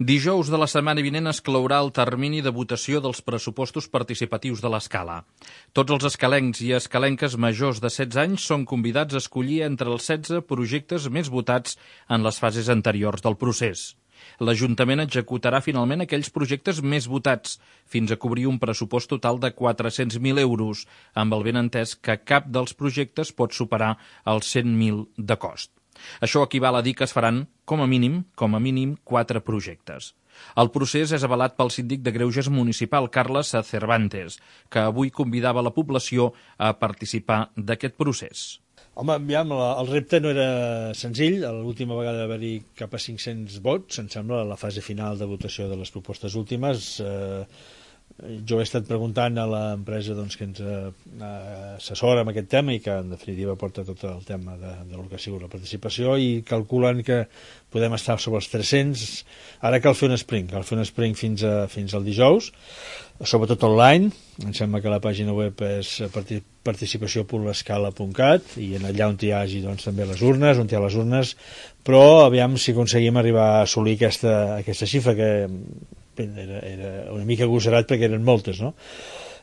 Dijous de la setmana vinent es clourà el termini de votació dels pressupostos participatius de l'Escala. Tots els escalencs i escalenques majors de 16 anys són convidats a escollir entre els 16 projectes més votats en les fases anteriors del procés. L'Ajuntament executarà finalment aquells projectes més votats, fins a cobrir un pressupost total de 400.000 euros, amb el benentès que cap dels projectes pot superar els 100.000 de cost. Això equival a dir que es faran, com a mínim, 4 projectes. El procés és avalat pel síndic de Greuges municipal, Carles Cervantes, que avui convidava la població a participar d'aquest procés. Home, aviam, el repte no era senzill. L'última vegada va haver-hi cap a 500 vots, em sembla, a la fase final de votació de les propostes últimes. Jo he estat preguntant a l'empresa que ens assessora en aquest tema i que en definitiva porta tot el tema de lo que ha sigut la participació, i calculen que podem estar sobre els 300. Ara cal fer un sprint fins al dijous, sobretot online. Em sembla que la pàgina web és participació.lescala.cat i allà on hi hagi també les urnes, on hi ha les urnes, però aviam si aconseguim arribar a assolir aquesta xifra, que era una mica agosarat perquè eren moltes, no?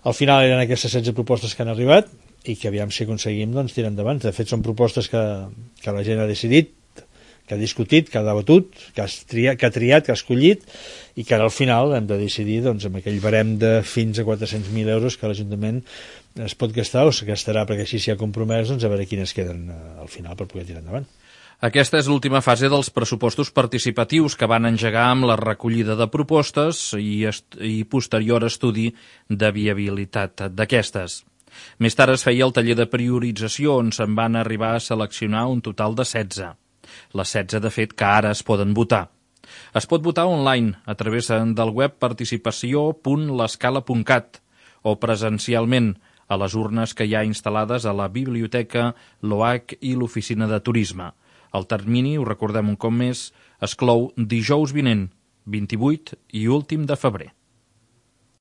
Al final eren aquestes 16 propostes que han arribat i que aviam si aconseguim tirar endavant. De fet, són propostes que la gent ha decidit, que ha discutit, que ha debatut, que ha triat, que ha escollit, i que ara al final hem de decidir amb aquell barem de fins a 400.000 euros que l'Ajuntament es pot gastar o es gastarà, perquè així s'hi ha compromès, a veure quines queden al final per poder tirar endavant. Aquesta és l'última fase dels pressupostos participatius, que van engegar amb la recollida de propostes i posterior estudi de viabilitat d'aquestes. Més tard es feia el taller de priorització, on se'n van arribar a seleccionar un total de 16. Les 16, de fet, que ara es poden votar. Es pot votar online a través del web participació.lescala.cat o presencialment a les urnes que hi ha instal·lades a la biblioteca, l'OAC i l'oficina de turisme. El termini, ho recordem un cop més, es clou dijous vinent, 28 i últim de febrer.